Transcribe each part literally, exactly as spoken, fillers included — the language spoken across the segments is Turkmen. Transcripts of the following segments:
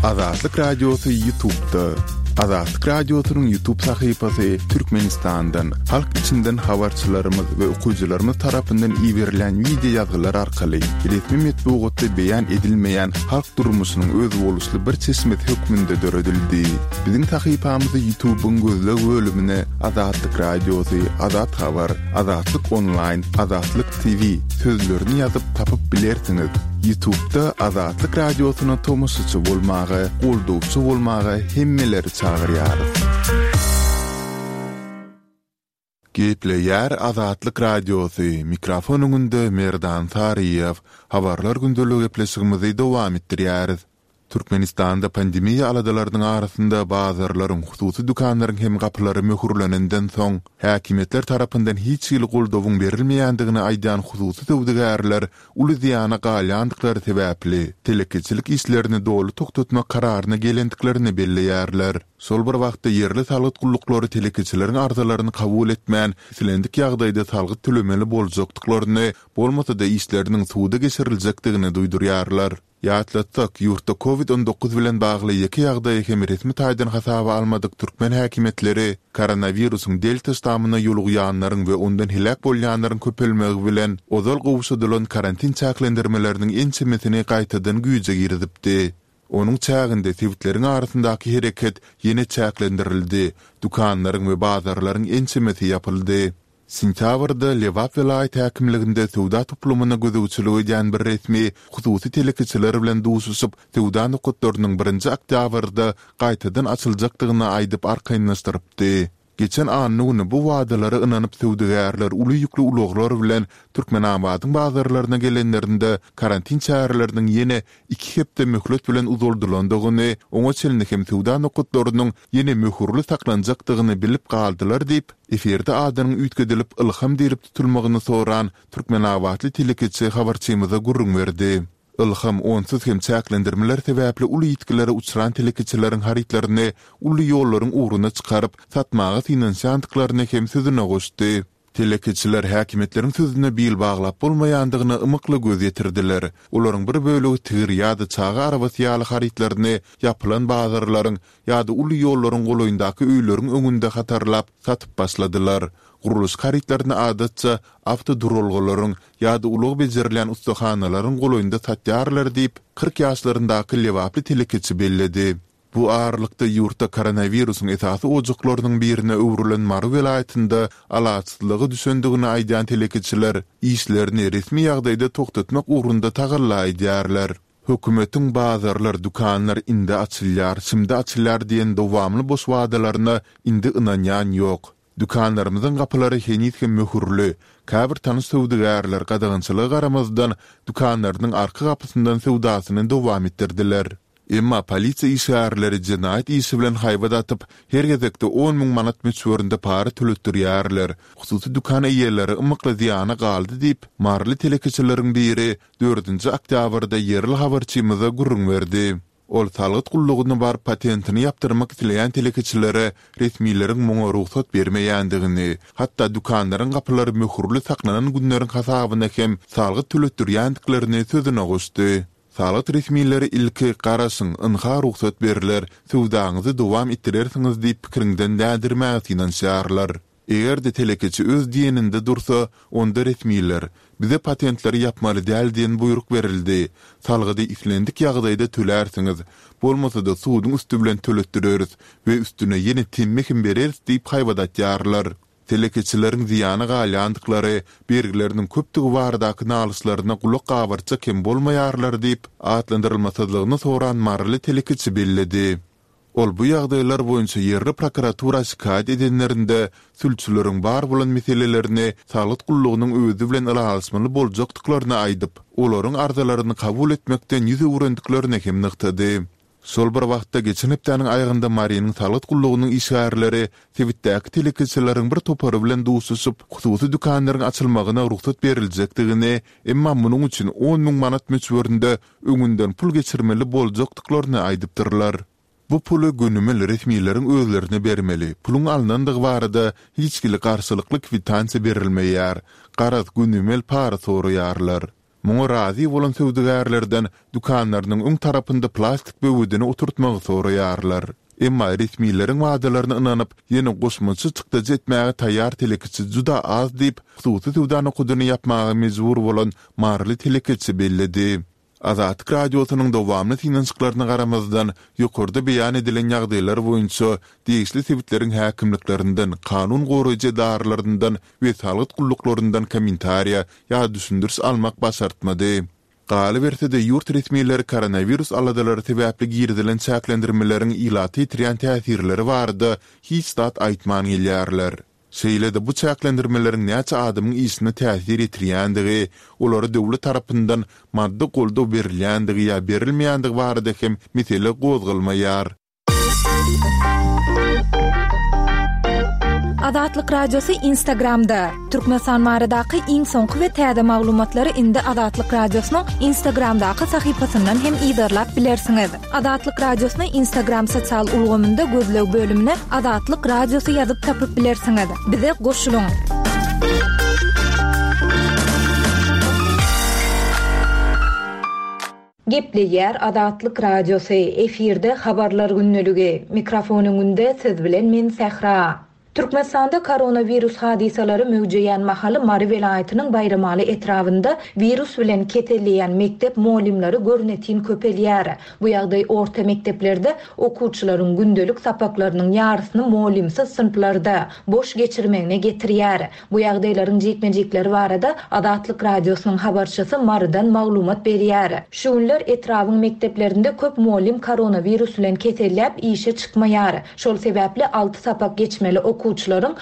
Azatlyk Radiosy YouTube'da. Azatlyk Radiosynyň YouTube sahypasy Türkmenistandan, halk içinden habarçylarymyz we okyjylarymyz tarapyndan iberilýän wideo ýazgylar arkaly resmi metbugatda beýan edilmeýän halk durmuşynyň özboluşly bir çeşmesi hökmünde döredildi. Biziň sahypamyzy YouTube'yň gözleg bölümine Azatlyk Radiosy, Azat Habar, Azatlyk Onlaýn, Azatlyk T V sözlerini ýazyp tapyp bilersiňiz. YouTube'da Azatlyk Radiosyna tomaşaçy bolmaga, goldawçy bolmaga hemmeleri çagyrýarys. Gepleýär Azatlyk Radiosy, mikrofon öňünde Merdan Saryýew. Habarlar gündelik gepleşigimizi dowam etdirýäris. Türkmenistanda pandemiýa aladalarynyň arasynda bazarlaryň, hususy dükanlaryň hem gapylary möhürlenenden soň, häkimiýetler tarapyndan hiç hili goldawyň berilmeýändigini aýdýan hususy söwdagärler uly zyýana galýandyklary sebäpli telekeçilik işlerini doly togtatmak kararyna gelendiklerini belleýärler. Şol bir wagtda ýerli salgyt gulluklary telekeçileriň arzalaryny kabul etmän, islendik ýagdaýda salgyt tölemeli boljakdyklaryny, bolmasa-da işleriniň suda geçiriljekdigini duýdurýarlar. Ýatlatsak, ýurtda Covid on dokuz bilen bagly ýeke ýagdaýy hem resmi taýdan hasaba almadyk türkmen häkimiýetleri koronawirusyň delta ştamyna ýolugýanlaryň we ondan heläk bolýanlaryň köpelmegi bilen ozal gowşadylan karantin çäklendirmeleriniň ençemesini gaýtadan güýje girizipdi. Onuň çäginde sebitleriň arasyndaky hereket ýene çäklendirildi, dükanlaryň we bazarlaryň ençemesi ýapyldy. Sentýabrda Lebap welaýat häkimliginde söwda toplumyna gözegçilik edýän bir resmi hususy telekeçiler bilen duşuşyp, söwda nokatlarynyň birinji oktýabrda gaýtadan açyljakdygyny aýdyp arkaýynlaşdyrypdy. Geçen anna güni bu wadalara ynanyp söwdagärler uly ýükli ulaglar bilen Türkmenabadyň bazarlaryna gelenlerinde karantin çäreleriniň ýene iki hepde möhlet bilen uzaldylandygyny, oňa çenli hem söwda nokatlarynyň ýene möhürli saklanjakdygyny bilip galdylar diýip, efirde adynyň üýtgedilip Ylham diýlip tutulmagyny soran türkmenabatly telekeçi habarçymyza gürrüň berdi. Ylham onsuz hem çäklendirmeler sebäpli uly ýitgilere uçran telekeçileriň harytlaryny uly ýollaryň ugruna çykaryp, satmaga synanyşýandyklaryny hem sözüne goşdy. Telekeçiler häkimiýetleriň sözüne bil baglap bolmaýandygyna ymykly göz ýetirdiler. Olaryň bir bölegi tigir ýa-da çaga arabasy ýaly harytlaryny ýapylan bazarlaryň ýa-da uly ýollaryň golaýyndaky öýleriň öňünde hatarlap satyp başladylar. Gurluşyk harytlaryny adatça awtoduralgalaryň ýa-da ulag bejerilýän ussahanalaryň golaýynda satýarlar diýip, kyrk ýaşlaryndaky lebaply telekeçi belledi. Bu aralykda ýurtda koronawirusyň esasy ojaklarynyň birine öwrülen Mary welaýatynda alaçsyzlyga düşendigini aýdýan telekeçiler işlerini resmi ýagdaýda togtatmak ugrunda tagalla edýärler. Hökümetiň bazarlar, dükanlar indi açylýar, şimdi açylýar diýen dowamly boş wadalaryna indi ynanýan ýok. Dükanlarymyzyň gapylary heniz hem möhürli. Käbir tanyş söwdagärler gadagançylyga garamazdan dükanlarynyň arka gapysyndan söwdasyny dowam etdirdiler. Emma polisiýa işgärleri jenaýat işi bilen haýbat atyp, her gezekde on müň manat möçberinde para töletdirýärler. Hususy dükan eýeleri ymykly zyýana galdy diýip, maryly telekeçileriň biri dördünji oktýabrda ýerli habarçymyza gürrüň berdi. Ol salgyt gullugyna baryp patentini ýapdyrmak isleýän telekeçilere resmileriň muňa rugsat bermeýändigini, hatda dükanlaryň gapylary möhürli saklanan günleriň hasabyna hem salgyt töletdirýändiklerini sözüne goşdy. Salgyt resmileri ilki garaşyň, ynha rugsat berler, söwdaňyzy dowam etdirersiňiz diýip pikiriňden dändirmäge synanyşýarlar. Eger-de telekeçi öz diýeninde dursa, onda resmiler bize patentleri ýapmaly däl diýen buýruk berildi. Salgydy islendik ýagdaýda tölärsiňiz, bolmasa-da suduň üsti bilen töletdireris we üstüne ýene temmi hem bereris diýip haýbat atýarlar. Telekeçileriň zyýana galýandyklary, bergileriniň köpdügi baradaky nalyşlaryna gulak gabartjak hem bolmaýarlar diýip, atlandyrylmasyzlygyny soran maryly telekeçi belledi. Ol bu ýagdaýlar boýunça ýerli prokuratura şikaýat edenlerinde sülçüleriň bar bolan meselelerini salgyt gullugynyň özi bilen ylalaşmaly boljakdyklaryny aýdyp, olaryň arzalaryny kabul etmekden ýüz öwrendiklerini hem nygtady. Şol bir wagtda geçen hepdäniň aýagynda Marynyň salgyt gullugynyň işgärleri sebitdäki telekeçileriň bir topary bilen duşuşyp, hususy dükanlaryň açylmagyna rugsat beriljekdigini, emma munuň üçin on müň manat möçberinde öňünden pul geçirmeli boljakdyklaryny aýdypdyrlar. Bu puly gönümel resmileriň özlerine bermeli, puluň alnandygy barada hiç hili garşylykly kwitansiýa berilmeýär. Garaz, gönümel para soraýarlar. Muňa razy bolan söwdagärlerden dükanlarynyň öň tarapynda plastik böwedini oturtmagy soraýarlar. Emma resmileriň wadalaryna ynanyp, ýene goşmaça çykdajy etmäge taýýar telekeçi juda az diýip, hususy söwda nokadyny ýapmaga mejbur bolan maryly telekeçi belledi. Azatlyk Radiosynyň dowamly synanyşyklaryna garamazdan, ýokarda beýan edilen ýagdaýlar boýunça degişli sebitleriň häkimliklerinden, kanun goraýjy edaralaryndan we salgyt gulluklaryndan kommentariýa ýa düşündiriş almak başartmady. Galyberse-de, ýurt resmileri koronawirus aladalary sebäpli girizilen çäklendirmeleriň ilata ýetirýän täsirleri barada hiç zat aýtman gelýärler. Şeýle-de bu çäklendirmeleriň näçe adamyň işine täsir ýetirýändigi, olara döwlet tarapyndan maddy goldaw berilýändigi ýa berilmeýändigi barada hem mesele gozgalmaýar. Azatlyk Radiosy Instagramda. Türkmenistan baradaky iň soňky we täze maglumatlary indi Azatlyk Radiosynyň Instagramdaky sahypasyndan hem yzarlap bilersiňiz. Azatlyk Radiosyny Instagram sosial ulgamynda gözleg bölümine Azatlyk Radiosy ýazyp tapyp bilersiňiz. Bize goşulyň! Gepleýär Azatlyk Radiosy, efirde Habarlar gündeligi. Mikrofon öňünde siz bilen men Sähra. Türkmenistanda koronawirus hadysalary möwjeýän mahaly Mary welaýatynyň Baýramaly etrabynda wirus bilen keselleýän mekdep mugallymlary görnetin köpelýär. Bu ýagdaý orta mekdeplerde okuwçylaryň gündelik sapaklarynyň ýarysyny mugallymsyz synplarda boş geçirmegine getirýär. Bu ýagdaýlaryň jikme-jikleri barada Azatlyk Radiosynyň habarçysy Marydan maglumat berýär. Şu günler etrabyň mekdeplerinde köp mugallym koronawirus bilen keselläp işe çykmaýar. Şol sebäpli alty sapak geçmeli okuwçylaryň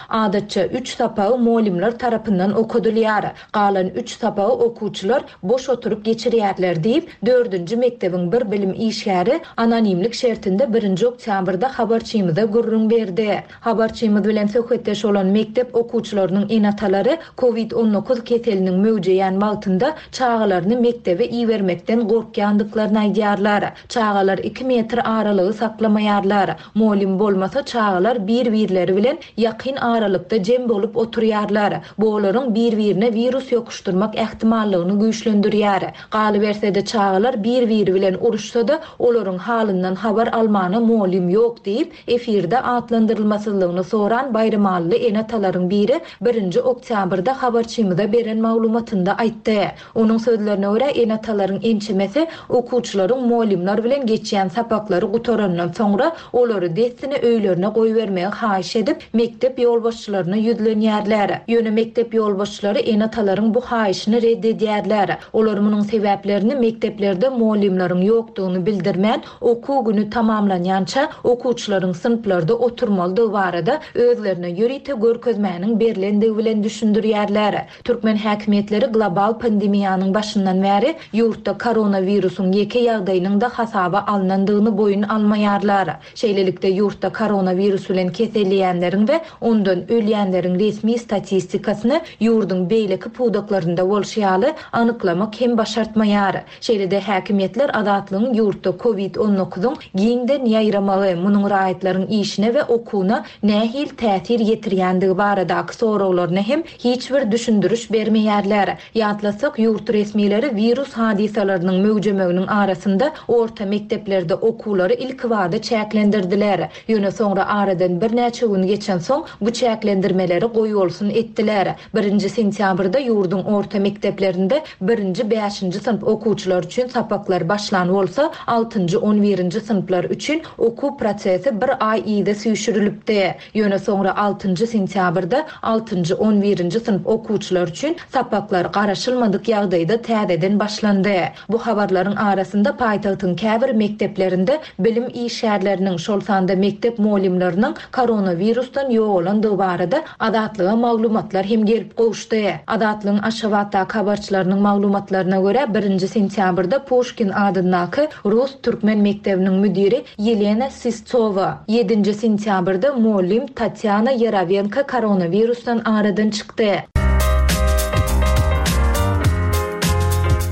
adatça üç sapagy mugallymlar tarapyndan okadylýar. Galan üç sapagy okuwçylar boş oturyp geçirýärler diýip, dördünji mekdebiň bir bilim işgäri anonimlik şertinde birinji oktýabrda habarçymyza gürrüň berdi. Habarçymyz bilen söhbetdeş bolan mekdep okuwçylarynyň ene-atalary covid on dokuz keseliniň möwjeýän wagtynda çagalaryny mekdebe ibermekden gorkýandyklaryny aýdýarlar. Çagalar iki metr aralygy saklamaýarlar. Mugallym bolmasa çagalar bir-birleri bilen ýakyn aralykda jem bolup oturýarlar. Bu olaryň bir-birine wirus ýokuşdyrmak ähtimallygyny güýçlendirýär. Galyberse-de çagalar bir-biri bilen uruşsa-da olaryň halyndan habar almana mugallym ýok diýip, efirde atlandyrylmasyzlygyny soran Baýramalyly ene-atalaryň biri birinji oktýabrda habarçymyza beren maglumatynda aýtdy. Onuň sözlerine görä ene-atalaryň ençemesi okuwçylaryň mugallymlar bilen geçýän sapaklary gutarandan soňra olary dessine öýlerine goýbermegi haýyş edip, mekdep ýolbaşçylaryna ýüzlenýärler. Ýöne mekdep ýolbaşçylary ene-atalaryň bu haýyşyny red edýärler. Olar munuň sebäplerini mekdeplerde mugallymlaryň ýokdugyny bildirmän, okuw günü tamamlanýança okuwçylaryň synplarda oturmalydygy barada özlerine ýörite görkezmäniň berlendigi bilen düşündirýärler. Türkmen häkimiýetleri global pandemiýanyň başyndan bäri ýurtda koronawirusyň ýeke ýagdaýynyň da hasaba alnandygyny boýun almaýarlar. Şeýlelikde ýurtda koronawirus bilen keselleýänleriň we ondan ölýänleriň resmi statistikasyny ýurduň beýleki pudaklarynda bolşy ýaly anyklamak hem başartmaýar. Şeýle-de häkimiýetler Azatlygyň ýurtda covid on dokuzyň giňden ýaýramagy, munuň raýatlaryň işine we okuwyna nähil täsir ýetirýändigi baradaky soraglaryna hem hiç bir düşündiriş bermeýärler. Ýatlasak, ýurt resmileri wirus hadysalarynyň möwjemeginiň arasynda orta mekdeplerde okuwlary ilkibada çäklendirdiler. Ýöne soňra aradan birnäçe gün geçen soň bu çäklendirmeleri goýbolsun etdiler. Birinji sentýabrda ýurduň orta mekdeplerinde birinji bäşinji synp okuwçylar üçin sapaklar başlan bolsa, altynjy on birinji synplar üçin okuw prosesi bir aý yza süýşürilipdi. Ýöne soňra altynjy sentýabrda altynjy on birinji synp okuwçylar üçin sapaklar garaşylmadyk ýagdaýda täzeden başlandy. Bu habarlaryň arasynda paýtagtyň käbir mekdeplerinde bilim işgärleriniň, şol sanda mekdep mugallymlarynyň koronawirusdan ýogalandygy barada Azatlyga maglumatlar hem gelip gowuşdy. Azatlygyň Aşgabatdaky habarçylarynyň maglumatlaryna görä birinji sentýabrda Puşkin adyndaky Rus Türkmen mekdebiniň müdiri Ýelena Sistova, ýedinji sentýabrda mugallym Tatýana Ýerawenko koronavirusdan aradan çykdy.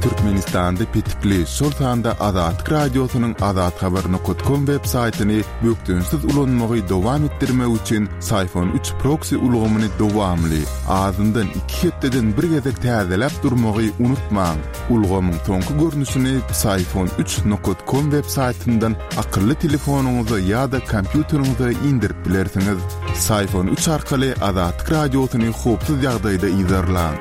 Türkmenistan Türkmenistanda petikli, şol sanda Azatlyk Radiosynyň azathabar nokat kom web saýtyny bökdençsiz ulanmagy dowam etdirmek üçin Psiphon üç proksi ulgamyny dowamly, azyndan iki hepdeden bir gezek täzeläp durmagy unutmaň. Ulgamyň soňky görnüşini Psiphon üç nokat kom web saýtyndan akylly telefonyňyza ýa-da kompýuteriňize indirip bilersiňiz. Psiphon üç arkaly Azatlyk Radiosyny howpsuz ýagdaýda yzarlaň.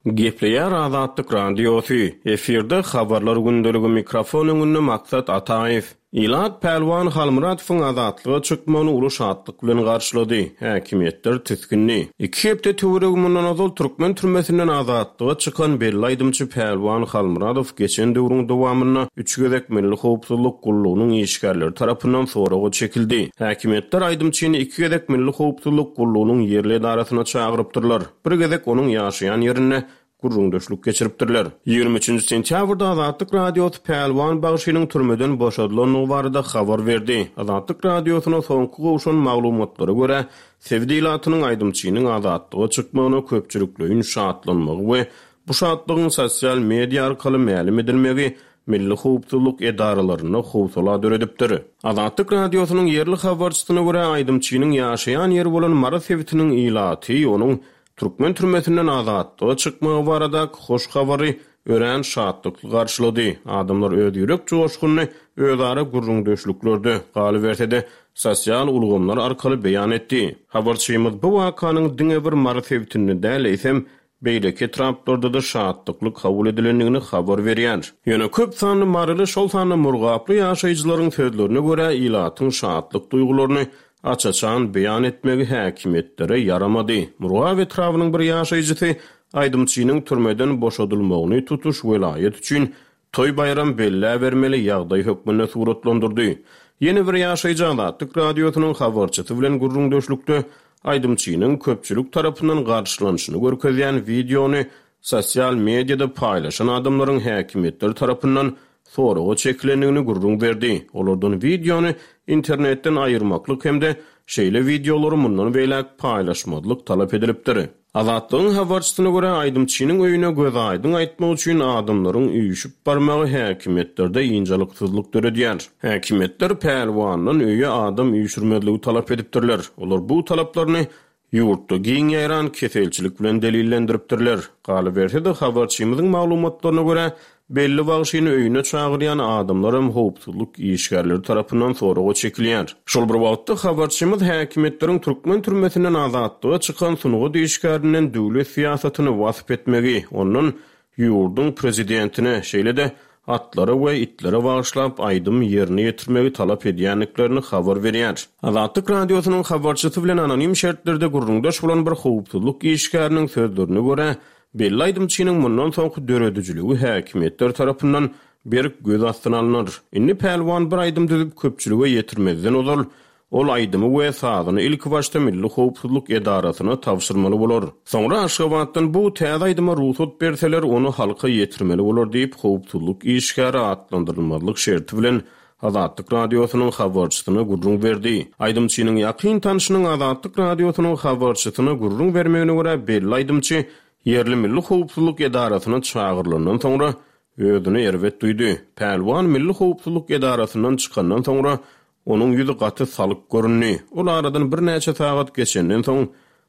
Gepleýär Azatlyk Radiosy. Efirde habarlar gündeligi, mikrofon öňünde Maksat Ataýew. Ilat Pälwan Halmyradowyň azatlyga çykmagyny uly şatlyk bilen garşylady. Häkimiýetler tisgindi. Iki hepde töweregi mundan ozal türkmen türmesinden azatlyga çykan belli aýdymçy Pälwan Halmyradow geçen döwrüň dowamynda üç gezek Milli howpsuzlyk gullugynyň işgärleri tarapyndan soraga çekildi. Häkimiýetler aýdymçyny iki gezek Milli howpsuzlyk gullugynyň ýerli edarasyna çagyrypdyrlar. Bir gezek onuň ýaşaýan ýerinde gürrüňdeşlik geçiripdirler. Ýigrimi üçünji sentýabrda Azatlyk Radiosy Pälwan bagşynyň türmeden boşadylandygy barada habar berdi. Azatlyk Radiosyna soňky gowşan maglumatlara görä, sebit ilatynyň aýdymçynyň azatlyga çykmagyna köpçülikleýin şatlanmagy we bu şatlygyň sosial media arkaly mälim edilmegi milli howpsuzlyk edaralarynda howsala döredipdir. Azatlyk Radiosynyň ýerli habarçysyna görä, aýdymçynyň ýaşaýan ýeri bolan Mary sebitiniň ilaty onuň türkmen türmesinden azatlyga çykmagy baradaky hoş habary örän şatlykly garşylady. Adamlar öz ýürek joşgunyny özara gürrüňdeşliklerde, galyberse-de, sosial ulgamlar arkaly beýan etdi. Habarçymyz bu wakanyň diňe bir Mary sebitinde däl, eýsem beýleki etraplarda-da şatlykly kabul edilendigini habar berýär. Ýöne köp sanly maryly, şol sanda murgaply ýaşaýjylaryň sözlerine görä, ilatyň şatlyk duýgularyny aç-açan beýan etmegi häkimiýetlere ýaramady. Murgap etrabynyň bir ýaşaýjysy aýdymçynyň türmeden boşadylmagyny tutuş welaýat üçin toý baýram belläbermeli ýagdaý hökmünde suratlandyrdy. Ýene bir ýaşaýjy Azatlyk Radiosynyň habarçysy bilen gürrüňdeşlikde aýdymçynyň köpçülik tarapyndan garşylanyşyny görkezýän wideony sosial mediada paýlaşan adamlaryň häkimiýetler tarapyndan soraga çekilendigini gürrüň berdi. Olardan wideony internetden aýyrmaklyk hem-de şeýle wideolary mundan beýläk paýlaşmazlyk talap edilipdir. Azatlygyň habarçysyna görä, aýdymçynyň öýüne göz aýdyň aýtmak üçin adamlaryň üýşüp barmagy häkimiýetlerde ynjalyksyzlyk döredýär. Häkimiýetler Pälwandan öýe adam üýşürmezligi talap edipdirler. Olar bu talaplaryny ýurtda giň ýaýran keselçilik bilen delillendiripdirler. Galyberse-de, habarçymyzyň maglumatlaryna görä, belli bagşyny öýüne çagyrýan adamlar hem howpsuzlyk işgärleri tarapyndan soraga çekilýär. Şol bir wagtda habarçymyz häkimiýetleriň türkmen türmesinden azatlyga çykan sungat işgärinden döwlet syýasatyny wasp etmegi, ondan ýurduň prezidentine, şeýle-de atlara we itlere bagyşlap aýdym ýerine ýetirmegi talap edýändiklerini habar berýär. Azatlyk Radiosynyň habarçysy bilen anonim şertlerde gürrüňdeş bolan bir howpsuzlyk işgäriniň sözlerine görä, belli aýdymçynyň mundan soňky döredijiligi häkimiýetler tarapyndan berk göz astyna alnar. Indi Pälwan bir aýdym düzüp köpçülige ýetirmezden ozal, ol aýdymy we sazyny ilki başda Milli howpsuzlyk edarasyna tabşyrmaly bolar. Soňra Aşgabatdan bu täze aýdyma rugsat berseler, ony halka ýetirmeli bolar diýip, howpsuzlyk işgäri atlandyrylmazlyk şerti bilen Azatlyk Radiosynyň habarçysyna gürrüň berdi. Aýdymçynyň ýakyn tanşynyň Azatlyk Radiosynyň habarçysyna gürrüň bermegine görä, belli aýdymçy ýerli Milli howpsuzlyk edarasyna çagyrylandan soňra özüni erbet duýdy. Pälwan Milli howpsuzlyk edarasyndan çykandan soňra onuň ýüzi gaty salyk göründi. Ol aradan birnäçe sagat geçenden soň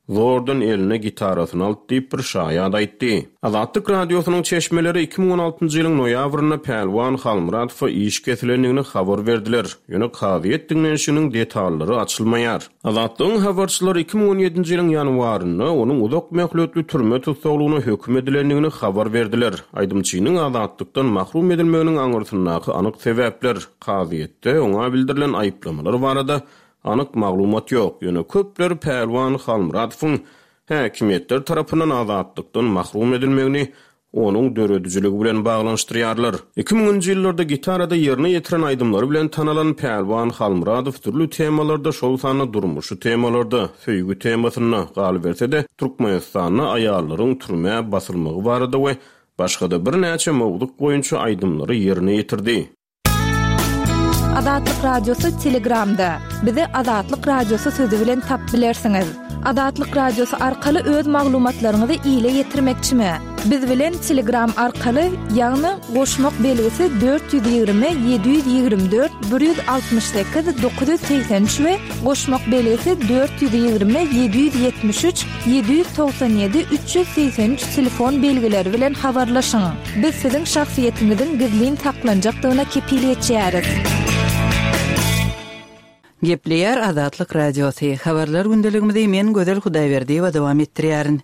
zordan eline gitarasyny aldy diýip bir şaýat aýtdy. Azatlyk Radiosynyň çeşmeleri iki müň on altynjy ýylyň noýabrynda Pälwan Halmyradowa iş kesilendigini habar berdiler. Ýöne kazyýet diňlenişiniň detallary açylmaýar. Azatlygyň habarçylary iki müň on ýedinji ýylyň ýanwarynda onuň uzak möhletli türme tussaglygyna höküm edilendigini habar berdiler. Aýdymçynyň azatlykdan mahrum edilmeginiň aňyrsyndaky anyk sebäpler, kazyýetde oňa bildirilen aýyplamalar barada anyk maglumat ýok. Ýöne köpler Pälwan Halmyradowyň häkimiýetler tarapyndan azatlykdan mahrum edilmegini onuň döredijiligi bilen baglanyşdyrýarlar. Iki müňünji ýyllarda gitarada ýerine ýetiren aýdymlary bilen tanalan Pälwan Halmyradow dürli temalarda, şol sanda durmuşy temalarda, söýgi temasynda, galyberse-de Türkmenistanda aýallaryň türmä basylmagy barada we başga-da birnäçe mowzuk boýunça aýdymlary ýerine ýetirdi. Azatlyk Radiosy Telegramda. Bizi Azatlyk Radiosy sözi bilen tap bilersiňiz. Azatlyk Radiosy arkaly öz maglumatlaryňyzy ile ýetirmekçimi? Biz bilen Telegram arkaly, ýagny goşmak belgisi dört ýüz ýigrimi ýedi ýüz ýigrimi dört bir ýüz altmyş sekiz dokuz ýüz segsen üç we goşmak belgisi dört ýüz ýigrimi ýedi ýüz ýetmiş üç ýedi ýüz togsan ýedi üç ýüz segsen üç telefon belgileri bilen habarlaşyň. Biz siziň şahsyýetiňiziň gizlin saklanjakdygyna kepil geçýäris. Gepleýär Azatlyk Radiosy. Habarlar gündeligimizi men Gözel Hudaýberdiýewa dowam etdirýärin.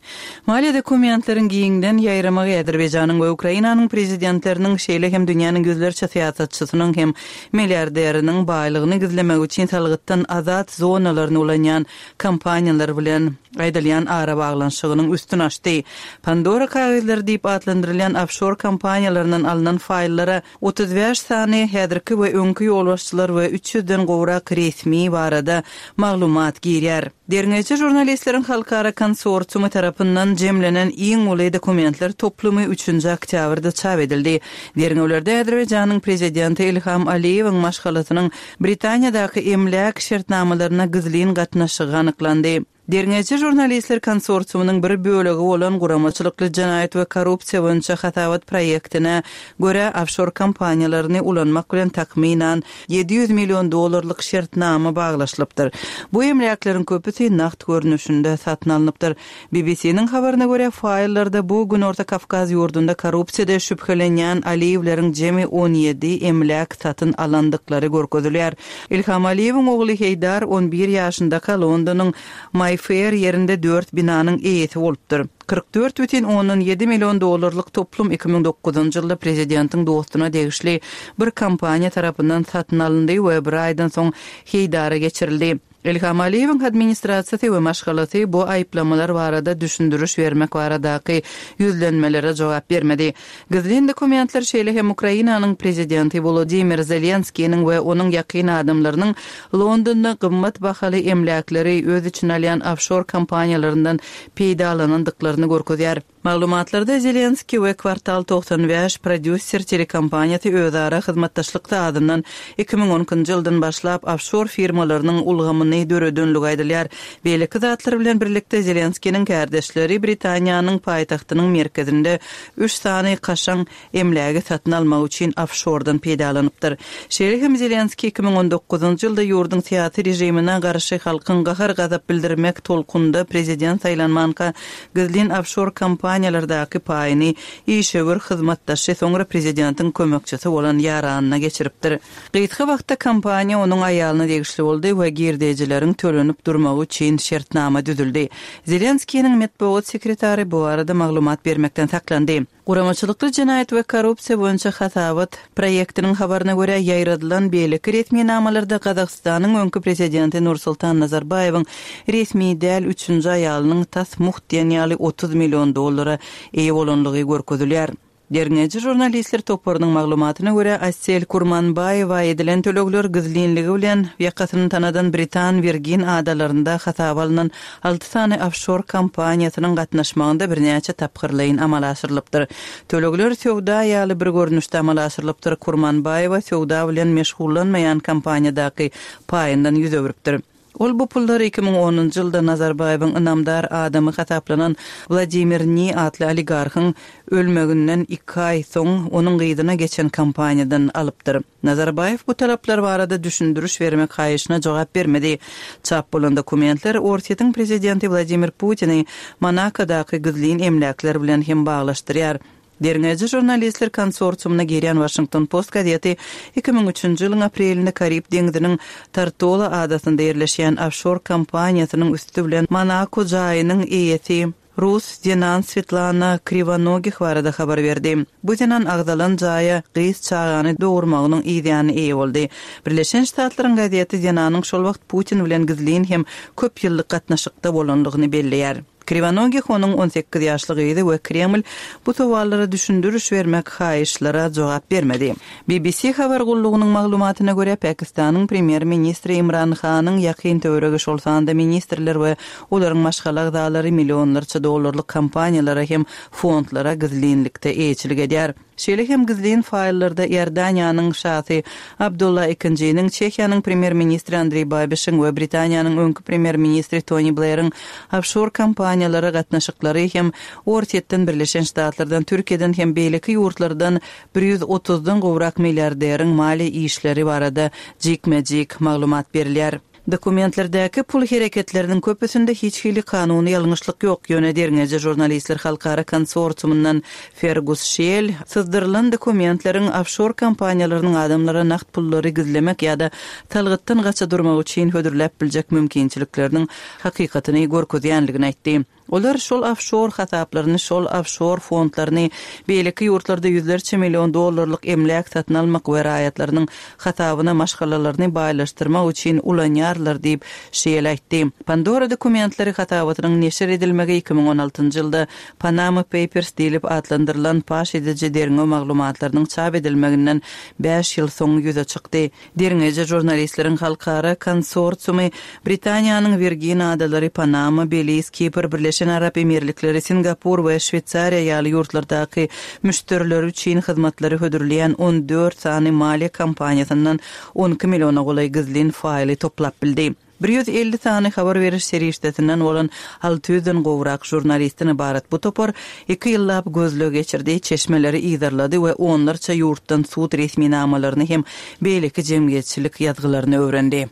Maliýe dokumentleriň giňden ýaýramagy Azerbaýjanyň we Ukrainanyň prezidentleriniň, şeýle hem dünýäniň ýüzlerçe syýasatçysynyň hem milliarderiniň baýlygyny gizlemek üçin salgytdan azat zonalaryny ulanýan kompaniýalar bilen aýdylýan arabaglanyşygynyň üstüni açdy. Pandora kagyzlary diýip atlandyrylýan ofşor kompaniýalaryndan alnan faýllara otuz bäş sany häzirki we öňki ýolbaşçylar we üç ýüzden gowrak resmi barada maglumat girýär. Derňewçi žurnalistleriň halkara konsorsiumy tarapyndan jemlenen iň uly dokumentler toplumy üçünji oktýabrda çap edildi. Derňewlerde Azerbaýjanyň prezidenti Ilham Aliýewiň maşgalasynyň Britaniýadaky emläk şertnamalaryna gizlin gatnaşygy anyklandy. Derňewçi žurnalistler konsorsiumynyň bir bölegi bolan guramaçylykly jenaýat we korrupsiýa boýunça hasabat proýektine görä ofşor kompaniýalaryny ulanmak bilen takmynan ýedi ýüz million dollarlyk şertnama baglaşylypdyr. Bu emläkleriň köpüsi nagt görnüşinde satyn alnypdyr. B B C-niň habaryna görä faýllarda bu Günorta Kawkaz ýurdunda korrupsiýada şübhelenýän Aliýewleriň jemi on ýedi emläk satyn alandyklary görkezilýär. Ilham Aliýewiň ogly Heýdar on bir ýaşyndaka Londonyň Mayfair ýerinde dört binanyň eýesi bolupdyr. Kyrk dört bütin ondan ýedi million dollarlyk toplum iki müň dokuzynjy ýylda prezidentiň dostuna degişli bir kompaniýa tarapyndan satyn alyndy we bir aýdan soň Heýdara geçirildi. Ilham Aliýewiň administrasiýasy we maşgalasy bu aýyplamalar barada düşündiriş bermek baradaky ýüzlenmelere jogap bermedi. Gizlin dokumentler şeýle hem Ukrainanyň prezidenti Volodymyr Zelenskiniň we onuň ýakyn adamlarynyň Londonda gymmat bahaly emläkleri öz içine alýan ofşor kompaniýalaryndan peýdalanandyklaryny görkezýär. Maglumatlarda Zelenski we Kwartal togsan bäş prodýuser telekompaniýasy özara hyzmatdaşlykda adyndan iki müň on ikinji ýyldan başlap ofşor firmalarynyň ulgamyny döredenligi aýdylýar. Beýleki zatlar bilen birlikde Zelenskiniň kardeşleri Britaniýanyň paýtagtynyň merkezinde üç sany kaşaň emlägi satyn almak üçin ofşordan peýdalanypdyr. Şeýle hem Zelenski iki müň on dokuzynjy ýylda ýurduň syýasy režimine garşy halkyň gahar-gazap bildirmek tolkunda prezident saýlanmanka gizlin ofşor kompaniýalardaky paýyny işewür hyzmatdaşy soňra prezidentiň kömekçisi bolan ýaranyna geçiripdir. Gysga wagtda kompaniýa onuň aýalyna degişli boldy we girdejileriň tölenip durmagy üçin şertnama düzüldi. Zelenskiniň metbugat sekretary bu arada maglumat bermekden saklandy. Guramaçylykly jenaýat we korrupsiýa boýunça hasabat proýektiniň habaryna görä ýaýradylan beýleki resminamalarda Gazagystanyň öňki prezidenti Nursultan Nazarbaýewiň resmi däl üçünji aýalynyň tas muht diýen ýaly otuz million dollara eýe bolanlygy görkezilýär. Derňewçi žurnalistler toparynyň maglumatyna görä Asel Kurmanbaýewa edilen tölegler gizlinligi bilen ýakasyny tanadan Britan Virgin adalarynda hasaba alnan alty sany ofşor kompaniýasynyň gatnaşmagynda birnäçe tapgyrlaýyn amala aşyrylypdyr. Tölegler söwda ýaly bir görnüşde amala aşyrylypdyr. Kurmanbaýewa söwda bilen meşgullanmaýan kompaniýadaky paýyndan ýüz öwrüpdir. Ol bu pullary iki müň onunjy ýylda Nazarbaýewiň ynamdar adamy hasaplanan Wladimir Ni atly oligarhyň ölmeginden iki aý soň onuň gyzyna geçen kompaniýadan alypdyr. Nazarbaýew bu talaplar barada düşündiriş bermek haýyşyna jogap bermedi. Çap bolan dokumentler Orsýetiň prezidenti Wladimir Putini Monakodaky gizlin emläkler bilen hem baglaşdyrýar. Derňewçi žurnalistler konsorsiumyna girýän Washington Post gazeti iki müň üçünji ýylyň aprelinde Karib deňziniň Tortola adasynda ýerleşýän ofşor kompaniýasynyň üstü bilen Monako jaýynyň eýesi Rus zenan Svetlana Kriwanogih barada habar berdi. Bu zenan agzalan jaýa gyz çagany dogurmagynyň ýany eýe boldy. Birleşen Ştatlaryň gazeti zenanyň şol wagt Putin bilen gizlin hem köp ýyllyk gatnaşykda bolanlygyny belleýär. Kriwanogih onuň on sekiz ýaşly gyzy we Kreml bu sowallara düşündiriş bermek haýyşlara jogap bermedi. B B C habar gullugynyň maglumatyna görä Pakistanyň premýer-ministri Imran Hanyň ýakyn töweregi şol sanda ministrler we olaryň maşgala agzalary millionlarça dollarlyk kompaniýalara hem fondlara gizlinlikde eýeçilik edýär. Şeýle hem gizlin faýllarda Iordaniýanyň şasy Abdullah II-niň, Çehiýanyň premýer-ministri Andreý Babişiň we Britaniýanyň öňki premýer-ministri Toni Bleriň ofşor kompaniýalara gatnaşyklary hem Orsýetden, Birleşen Ştatlardan, Türkiýeden hem beýleki ýurtlardan bir ýüz otuzdan gowrak milliarderiň maliýe işleri barada jikme-jik maglumat berilýär. Dokumentlerdäki pul hereketleriniň köpüsinde hiç hili kanuny ýalňyşlyk ýok, ýöne derňeýji žurnalistler halkara konsorsiumyndan Fergus Şel syzdyrylan dokumentleriň ofşor kompaniýalarynyň adamlara nagt pullary gizlemek ýa-da salgytdan gaça durmak üçin hödürläp biljek mümkinçilikleriniň hakykatyny görkezýänligini aýtdy. Olar şol ofşor hasaplaryny, şol ofşor fondlaryny beýleki ýurtlarda ýüzlerçe million dollarlyk emläk satyn almak we raýatlarynyň hasabyna maşgalalaryny baýlaşdyrmak üçin ulanýarlar diýip, Şeýel aýtdy. Pandora dokumentleri hasabatynyň neşir edilmegi iki müň on altynjy ýylda Panama Papers diýlip atlandyrylan paş ediji derňew maglumatlarynyň çap edilmeginden bäş ýyl soň ýüze çykdy. Derňeýji žurnalistleriň halkara konsorsiumy Britaniýanyň Wirgin adalary, Panama, Beliz, Kipr, Birleşen Arap Emirlikleri, Singapur we Şweýsariýa ýaly ýurtlardaky müşderileri üçin hyzmatlary hödürleýän on dört sany maliýe kompaniýasyndan on iki milliona golaý gizlin faýly toplap bildi. Bir ýüz elli sany habar beriş serişdesinden bolan alty ýüzden gowrak žurnalistden ybarat bu topar iki ýyllap gözleg geçirdi, çeşmeleri yzarlady we onlarça ýurtdan sud resminamalaryny hem beýleki jemgyýetçilik ýazgylaryny öwrendi.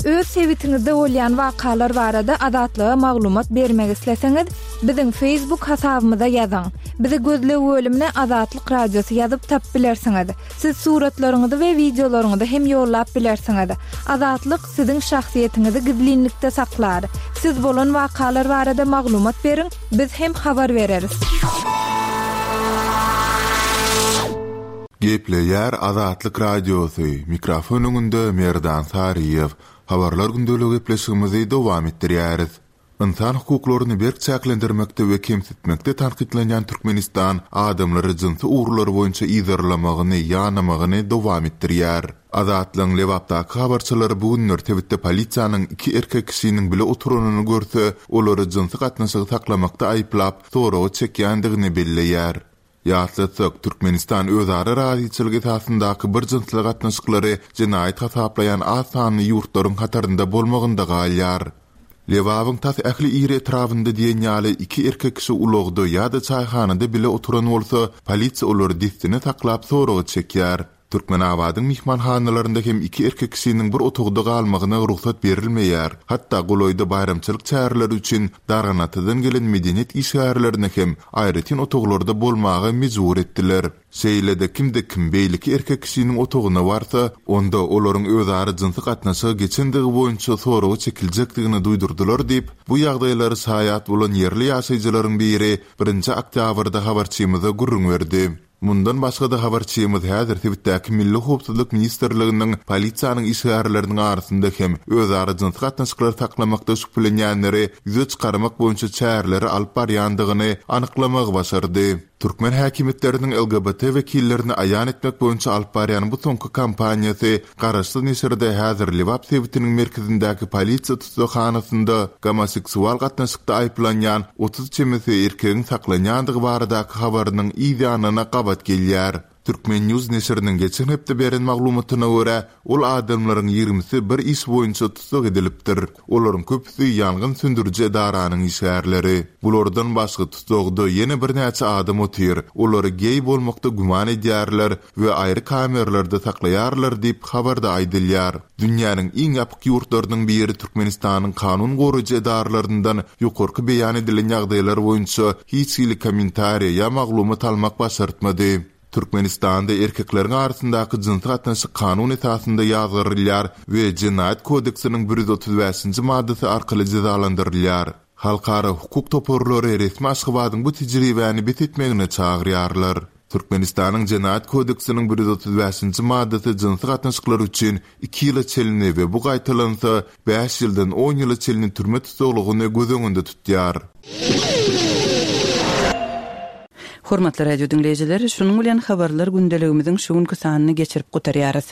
Öz sebitiňizde bolýan wakalar barada Azatlyga maglumat bermek isleseňiz, biziň Facebook hasabymyza ýazyň. Bizi gözleg bölümine Azatlyk Radiosy ýazyp tap bilersiňiz. Siz suratlaryňyzy we wideolaryňyzy hem ýollap bilersiňiz. Azatlyk siziň şahsyýetiňizi gizlinlikde saklar. Siz bolan wakalar barada maglumat beriň, biz hem habar bereris. Gepleýär Azatlyk Radiosy, mikrofon öňünde Merdan Saryýew. Habarlar gündelik gepleşigimizi dowam etdirýäris. Ynsan hukuklaryny berk çäklendirmekde we kemsitmekde tankytlanýan Türkmenistan adamlary jynsy ugurlar boýunça yzarlamagyny, ýanamagyny dowam etdirýär. Azatlygyň Lebapdaky habarçylary bu günler sebitde polisiýanyň iki erkek kişiniň bile oturanyny görse, olary jynsy gatnaşygy saklamakda aýyplap, soraga çekýändigini belleýär. Ýatlatsak, Türkmenistan özara razyçylyk esasyndaky bir jynsly gatnaşyklary jenaýat hasaplaýan az sanly ýurtlaryň hatarynda bolmagynda galýar. Lebabyň tas ähli iri etrabynda diýen ýaly iki erkek kişi ulagda ýa-da çaýhanada bile oturan bolsa, polisiýa olary dessine saklap soraga çekýär. Türkmenabadyň myhmanhanalarynda hem iki erkek kişiniň bir otagda galmagyna rugsat berilmeýär. Hatda golaýda baýramçylyk çäreleri üçin Darganatadan gelen medeniýet işgärlerine hem aýratyn otaglarda bolmaga mejbur etdiler. Şeýle-de kimde kim beýleki erkek kişiniň otagyna barsa, onda olaryň özara jynsy gatnaşygy geçendigi boýunça soraga çekiljekdigini duýdurdylar diýip, bu ýagdaýlary şaýat bolan ýerli ýaşaýjylaryň biri birinji oktýabrda habarçymyza gürrüň berdi. Mundan başga-da habarçymyz häzir sebitdäki Milli Howpsuzlyk Ministrliginiň polisiýanyň işgärleriniň arasynda hem özara jynsy gatnaşyklary saklamakda şübhelenýänleri ýüze çykarmak boýunça çäreleri alyp barýandygyny anyklamagy başardy. Türkmen häkimiýetleriniň L G B T wekillerini aýan etmek boýunça alyp barýan bu soňky kampaniýasy Garaşsyz neşirde häzir Lebap sebitiniň merkezindäki polisiýa tussaghanasynda gomoseksual gatnaşykda aýyplanýan otuz çemesi erkegiň saklanýandygy baradaky habarynyň yz ýanyna gabat gelýär. Türkmen News neşiriniň geçen hepde beren maglumatyna görä, ol adamlaryň ýigrimisi bir iş boýunça tussag edilipdir. Olaryň köpüsi ýangyn söndüriji edaranyň işgärleri. Bulardan başga tussagda ýene birnäçe adam otyr. Olary geý bolmakda güman edýärler we aýry kameralarda saklaýarlar diýip habarda aýdylýar. Dünýäniň iň ýapyk ýurtlarynyň biri Türkmenistanyň kanun goraýjy edaralaryndan ýokarky beýan edilen ýagdaýlar boýunça hiç hili kommentariýa ýa maglumat almak başartmady. Türkmenistanda erkekleriň arasyndaky jynsy gatnaşyk kanun esasynda ýazgarylýar we Jenaýat kodeksiniň bir ýüz otuz bäşinji maddasy arkaly jezalandyrylýar. Halkara hukuk toparlary resmi Aşgabadyň bu tejribäni bes etmegine çagyrýarlar. Türkmenistanyň Jenaýat kodeksiniň bir ýüz otuz bäşinji maddasy jynsy gatnaşyklar üçin iki ýyla çenli we bu gaýtalansa bäş ýyldan on ýyla çenli türme tussaglygyny göz öňünde tutýar. Hormatly radio dinleýjiler, şunuň bilen habarlar gündeligimiziň şu günki sanyny geçirip gutarýarys.